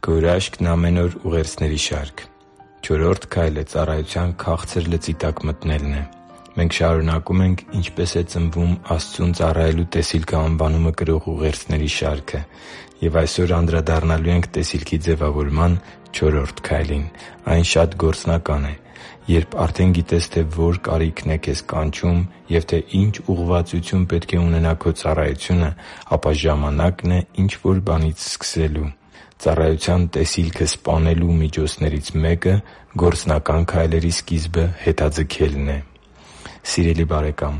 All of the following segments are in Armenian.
Քո հրաշքն ամեն օր ուղերձների շարք։ Չորրորդ քայլը ծառայության քաղցր լծի տակ մտնելն է։ Մենք շարունակում ենք «Ինչպե՞ս է ծնվում Աստծուն ծառայելու տեսիլքը» անվանումը կրող ուղերձների շարքը։ Եվ այսօր անդրադառնալու ենք տեսիլքի ձևավորման չորրորդ քայլին։ Այն շատ գործնական է։ Երբ արդեն գիտես, թե ո՛ր կարիքն է քեզ կանչում և թե ինչ ուղղվածություն պետք է ունենա քո ծառայությունը, ապա ժամանակն է ինչ-որ բանից սկսելու։ Ծառայության տեսիլքը սպանելու միջոցներից մեկը գործնական քայլերի սկիզբը հետաձգելն է։ Սիրելի՛ բարեկամ,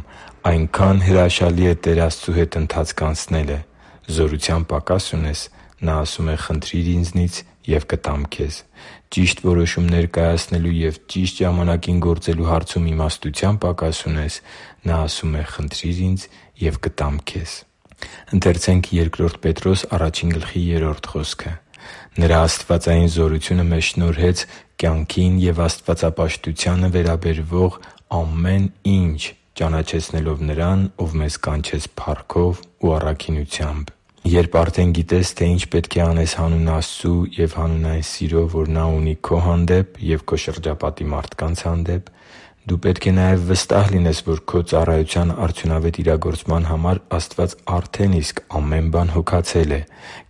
այնքա՜ն հրաշալի է Տեր Աստծու հետ ընթացք անցնելը։ Զորության պակաս ունե՞ս։ Նա ասում է՝ «Խնդրի՛ր Ինձնից, և կտամ քեզ»։ Ճիշտ որոշումներ կայացնելու և ճիշտ ժամանակին գործելու հարցում իմաստության պակաս ունե՞ս։ Նա ասում է՝ «Խնդրի՛ր Ինձ, և կտամ քեզ»։ «Նրա աստվածային զորությունը մեզ շնորհեց կյանքին և աստվածապաշտությանը վերաբերվող ամեն ինչ, ճանաչեցնելով Նրան, Ով մեզ կանչեց փառքով ու առաքինությամբ» (Բ Պետրոս 1:3)։ Երբ արդեն գիտես, թե ինչ պետք է անես հանուն Աստծու և հանուն այն սիրո, որ Նա ունի քո հանդեպ և քո շրջապատի մարդկանց հանդեպ, դու պետք է նաև վստահ լինես, որ քո ծառայության արդյունավետ իրագործման համար Աստված արդեն իսկ ամեն բան հոգացել է։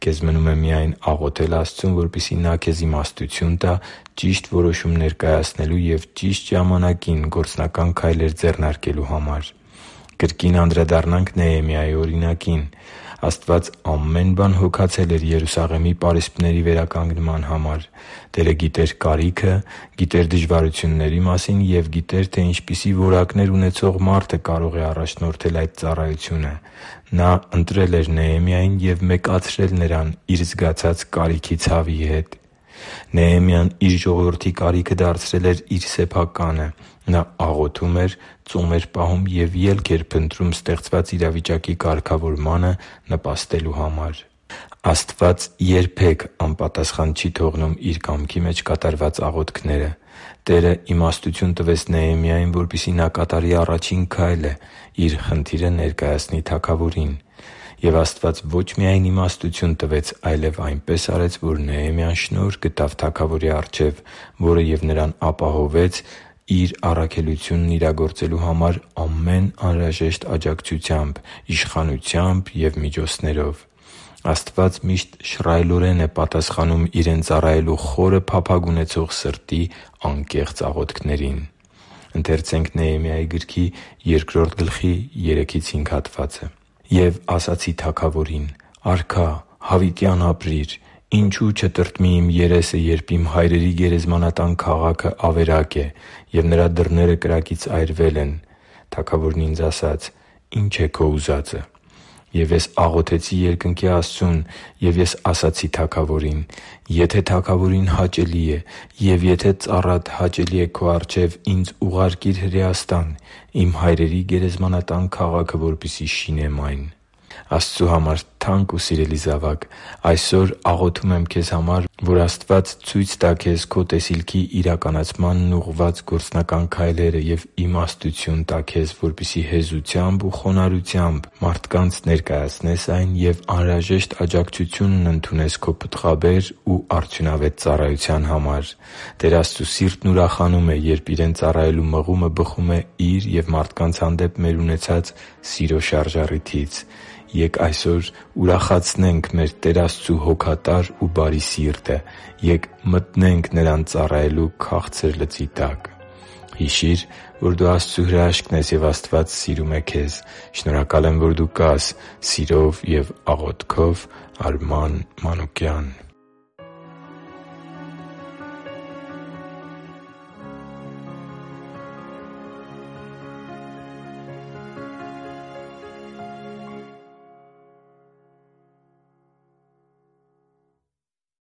Քեզ մնում է միայն աղոթել Աստծուն, որպեսզի Նա քեզ իմաստություն տա ճիշտ որոշումներ կայացնելու և ճիշտ ժամանակին գործնական քայլեր ձեռնարկելու համար։ Կրկին անդրադառնանք Նեհեմիայի օրինակին։ Աստված ամեն բան հոգացել էր Երուսաղեմի պարիսպների վերականգնման համար։ Տերը գիտեր կարիքը, գիտեր դժվարությունների մասին և գիտեր, թե ինչպիսի որակներ ունեցող մարդը կարող է առաջնորդել այդ ծառայությունը։ Նա ընտրել էր Նեհեմիային և մեկացրել նրան իր զգացած կարիքի ցավի հետ։ Նեհեմիան իր ժողովրդի կարիքը դարձրել էր իր սեփականը։ Նա աղոթում էր, ծոմ էր պահում և ելք էր փնտրում ստեղծված իրավիճակի կարգավորմանը նպաստելու համար։ Աստված երբե՛ք անպատասխան չի թողնում Իր կամքի մեջ կատարված աղոթքները։ Տերը իմաստություն տվեց Նեհեմիային, որպեսզի նա կատարի առաջին քայլը՝ իր խնդիրը ներկայացնի թագավորին։ Եվ Աստված ոչ միայն իմաստություն տվեց, այլև այնպես արեց, որ Նեհեմիան շնորհ գտավ թագավորի առջև, որը և նրան ապահովեց իր առաքելությունն իրագործելու համար ամեն անհրաժեշտ աջակցությամբ, իշխանությամբ և միջոցներով։ Աստված միշտ շռայլորեն է պատասխանում Իրեն ծառայելու խորը փափագ ունեցող սրտի անկեղծ աղոթքներին։ «Եվ ասացի թագավորին. «Արքա, հավիտյան ապրի՛ր։ Ինչո՞ւ չտրտմի իմ երեսը, երբ իմ հայրերի գերեզմանատան քաղաքը ավերակ է, և նրա դռները կրակից այրվել են»։ Թագավորն ինձ ասաց. «Ի՞նչ է քո ուզածը»։ Եվ ես աղոթեցի երկնքի Աստծուն, և ես ասացի թագավորին. «Եթե թագավորին հաճելի է, և եթե ծառատ հաճելի է քո առջև, ինձ ուղարկի՛ր Հրեաստան, իմ հայրերի գերեզմանատան քաղաքը, որպեսզի շինեմ այն»։ Աստծու համար թանկ ու սիրելի՛ զավակ, այսօր աղոթում եմ քեզ համար, որ Աստված ցույց տա քեզ քո տեսիլքի իրականացմանն ուղղված գործնական քայլերը և իմաստություն տա քեզ, որպեսզի հեզությամբ ու խոնարհությամբ մարդկանց ներկայացնես այն և անհրաժեշտ աջակցությունն ընդունես քո պտղաբեր ու արդյունավետ ծառայության համար։ Տեր Աստծու սիրտն ուրախանում է, երբ Իրեն ծառայելու մղումը բխում է Իր և մարդկանց հանդեպ մեր ունեցած սիրո շարժառիթից։ Ե՛կ այսօր ուրախացնենք մեր Տեր Աստծու հոգատար ու բարի սիրտը։ Ե՛կ մտնենք Նրան ծառայելու քաղցր լծի տակ։ Հիշի՛ր, որ դու Աստծո հրաշքն ես, և Աստված սիրում է քեզ։ Շնորհակալ եմ, որ դու կա՛ս։ Սիրով և աղոթքով, Արման Մանուկյան։